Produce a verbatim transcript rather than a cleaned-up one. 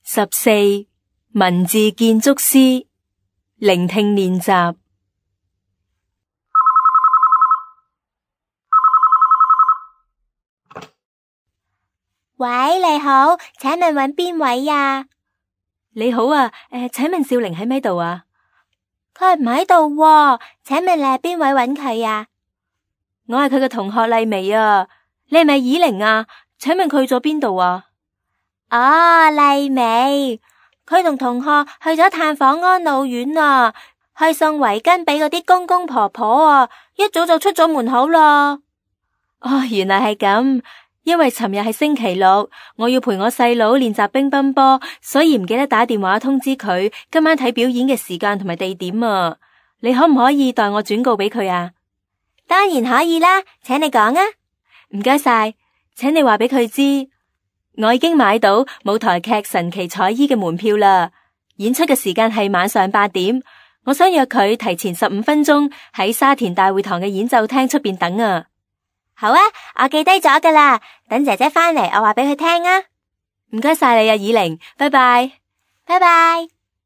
十四文字建築師聆聽練習。喂，你好，請問揾邊位呀？你好啊，誒，請問少玲喺咪度啊？佢唔喺度喎，請問你係邊位揾佢呀？我係佢嘅同學麗薇啊，你係咪以玲啊？請問佢去咗邊度啊？哦，麗薇，佢同同學去咗探訪安老院啊，去送圍巾俾嗰啲公公婆婆啊，一早就出咗門口啦。哦，原來係咁。因為尋日係星期六，我要陪我細佬練習乒乓波，所以唔記得打電話通知佢今晚睇表演嘅時間同埋地點啊。你可唔可以代我轉告俾佢啊？當然可以啦，請你講啊。唔該晒，請你話俾佢知，我已經買到舞台劇神奇彩衣嘅門票啦。演出嘅時間係晚上八點，我想約佢提前十五分鐘喺沙田大會堂嘅演奏廳出邊等啊。好啊，我記低咗噶啦，等姐姐返嚟，我話俾佢聽啊。唔該晒你啊，以玲，拜拜，拜拜。